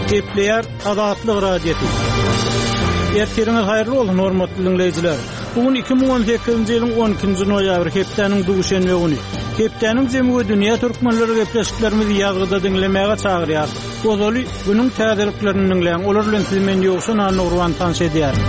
Gepleýär Azatlyk Radiosy. Ertiriňiz haýyrly bolsun, hormatly diňleýjiler. Bu gün 2018-nji ýylyň 12-nji noýabry, hepdäniň duşenbe güni. Hepdäniň jemi we dünýä türkmenleri gepleşiklerimizi ýazgyda diňlemäge çagyrýar. Ozaly günüň täzeliklerini diňläň, olar bilen sizi men Ýowşan Annagurban tanyş edýärin.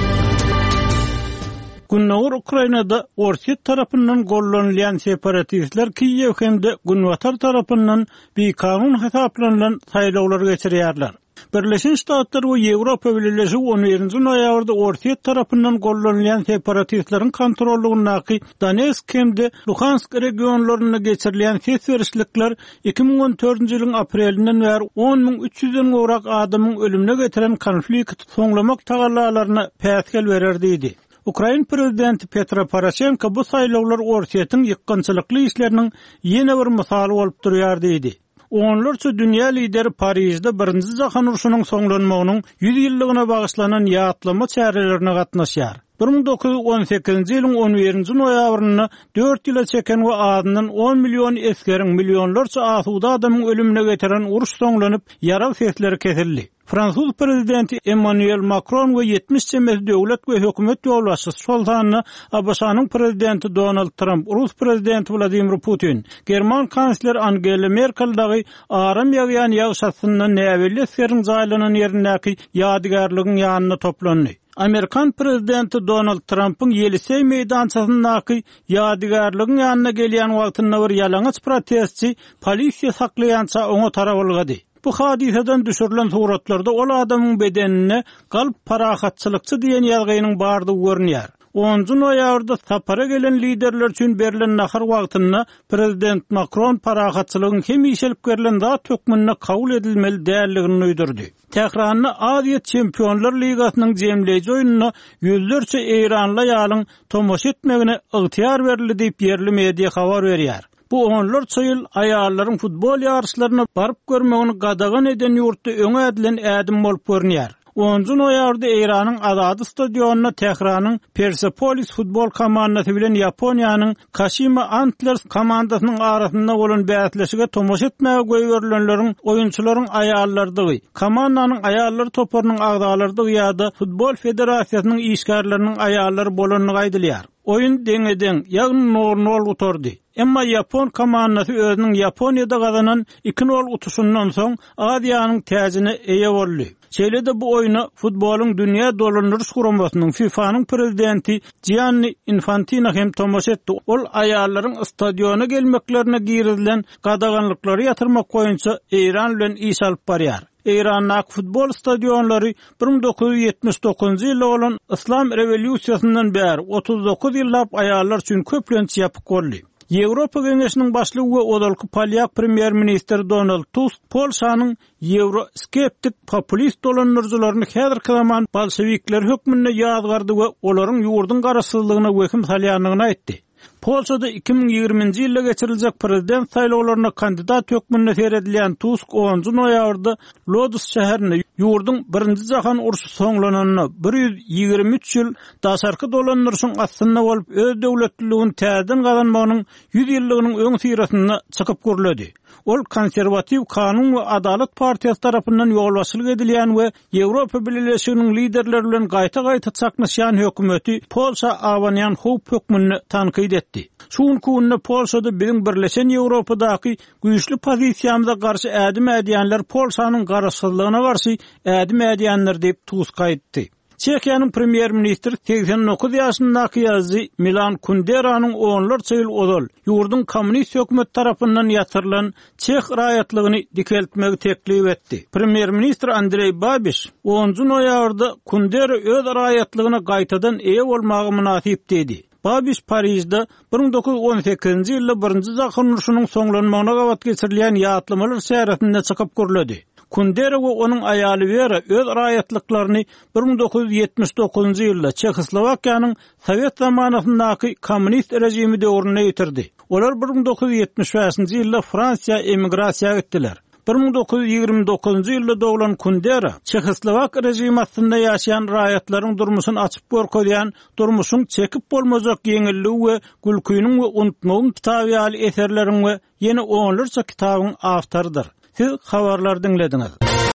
Gündogar Ukrainada Orsýet tarapyndan gollanylýan separatistler Kiýew hem-de Günbatar tarapyndan bikanun hasaplanylan saýlawlary geçirýärler. Birleşen Ştatlar we Ýewropa Bileleşigi on birinji noýabrda Orsýet tarapyndan gollanylýan separatistleriň kontrollygyndaky Donetsk hem-de Luhansk regionlarynda geçirilýän ses berişlikler 2014-nji ýylyň aprelinden bäri 10 300-den gowrak adamyň ölümine getiren konflikti soňlamak tagallalaryna päsgel berer diýdi. Ukrain prezidenti Petro Poroşenko bu saýlawlar Orsýetiň ýykgynçylykly işleriniň ýene bir mysaly bolup durýar diýdi. Onlarça dünýä lideri Parižde Birinji jahan urşunyň soňlanmagynyň 100 ýyllygyna bagyşlanan ýatlama çärelerine gatnaşýar. 1918-nji ýylyň on birinji noýabrynda dört ýyla çeken we azyndan on million esgeriň, millionlarça asuda adamyň ölümine getiren uruş soňlanyp, ýarag sesleri kesildi. Fransuz prezidenti Emmanuel Makron we 70 çemesi döwlet we hökümet ýolbaşçysy, şol sanda ABŞ-nyň prezidenti Donald Tramp, rus prezidenti Wladimir Putin, german kansleri Angela Merkel dagy aram ýagýan ýagyş astynda näbelli esgeriň jaýlanan ýerindäki ýadygärligiň ýanynda toplandy. Amerikan prezidenti Donald Trampyň Ýeliseý meýdançasyndaky ýadygärligiň ýanyna gelýän wagtynda bir ýalaňaç protestçi polisiýa saklaýança oňa tarap ylgady. Bu hadysadan düşürilen suratlarda ol adamyň bedeninde Galp parahatçylykçy diýen ýazgynyň bardygy görünýär. Onunjy noýabrda sapara gelen liderler üçin berlen nahar wagtynda prezident Makron parahatçylygyň hemişelik berlen zat hökmünde kabul edilmeli däldigini duýdurdy. Tähranda Aziýa Çempionlar ligasynyň jemleýji oýnuna ýüzlerçe eýranly aýalyň tomaşa etmegine ygtyýar berildi diýip, ýerli media habar berýär. Bu onlarça ýyl aýallaryň futbol ýaryşlaryna baryp görmegini gadagan eden ýurtda öňe ädilen ädim bolup görünýär. Onunjy noýabrda Eýranyň Azady stadionynda Tähranyň Persepolis futbol komandasy bilen Ýaponiýanyň Kaşima Antlers komandasynyň arasynda bolan bäsleşige tomaşa etmäge goýberilenleriň oýunçylaryň aýallarydygy, komandanyň aýallar toparynyň agzalarydygy ýa-da futbol federasiýasynyň işgärleriniň aýallary bolandygy aýdylýar. Oýun deňe-deň, ýagny nol-nol gutardy. Emma ýapon komandasy özüniň Ýaponiýada gazanan iki-nol utuşyndan soň Aziýanyň täjine eýe boldy. Şeýle-de bu oýna Futbolyň dünýä dolandyryş guramasynyň, FIFA-nyň prezidenti Jianni Infantino hem tomaşa etdi. Ol aýallaryň stadiona gelmeklerine girizilen gadaganlyklary ýatyrmak boýunça Eýran bilen iş alyp barýar. Eýrandaky futbol stadionlary 1979-njy ýylda bolan Yslam rewolýusiýasyndan bäri 39 ýyllap aýallar üçin köplenç ýapyk boldy. Ýewropa Geňeşiniň başlygy we ozalky polýak premýer-ministri Donald Tusk Polşanyň ýewroskeptik populist dolandyryjylaryny häzirki zaman bolşewikleri hökmünde ýazgardy we olaryň ýurduň garaşsyzlygyna wehim salýandygyny aýtdy. Polşada 2020-nji ýylda geçiriljek prezident saýlawlaryna kandidat hökmünde seredilýän Tusk onunjy noýabrda Lodz şäherinde ýurduň Birinji jahan urşy soňlananyna 123 ýyl daşarky dolandyryşyň astynda bolup öz döwletliligini täzeden gazanmagynyň ýüz ýyllygynyň öňüsyrasynda çykyp gürledi. Ol konserwatiw Kanun we adalat partiýasy tarapyndan ýolbaşçylyk edilýän we Ýewropa Bileleşiginiň liderleri bilen gaýta-gaýta çaknyşýan hökümeti Polşa abanýan howp hökmünde tankyt etdi. Şu günki günde Polşada biziň birleşen Ýewropadaky güýçli pozisiýamyza garşy ädim ädýänler Polşanyň garaşsyzlygyna garşy ädim ädýändir diýip, Tusk aýtdy. Çehiýanyň premýer-ministri 89 ýaşyndaky ýazyjy Milan Kunderanyň onlarça ýyl ozal ýurduň kommunist hökümeti tarapyndan ýatyrylan çeh raýatlygyny dikeltmegi teklip etdi. Premýer-ministr Andreý Babiş onunjy noýabrda Kundera öz raýatlygyna gaýtadan eýe bolmaga mynasyp diýdi. Babiş Parižde 1918-nji ýylda Birinji jahan urşunyň soňlanmagyna gabat geçirilýän ýatlamalar çäresinde çykyp gürledi. Kundera we onuň aýaly Wera öz raýatlyklaryny 1979-njy ýylda Çehoslowakiýanyň sowet zamanasyndaky kommunist režimi döwründe ýitirdi. Olar 1975-nji ýylda Fransiýa emigrasiýa gitdiler. 1929-njy ýylda doglan Kundera çehoslowak režimi astynda ýaşaýan raýatlaryň durmuşyny açyp görkezýän Durmuşyň çekip bolmajak ýeňilligi we Gülkiniň we unutmagyň kitaby ýaly eserleriň we ýene onlarça kitabyň awtorydyr. Siz habarlary diňlediňiz.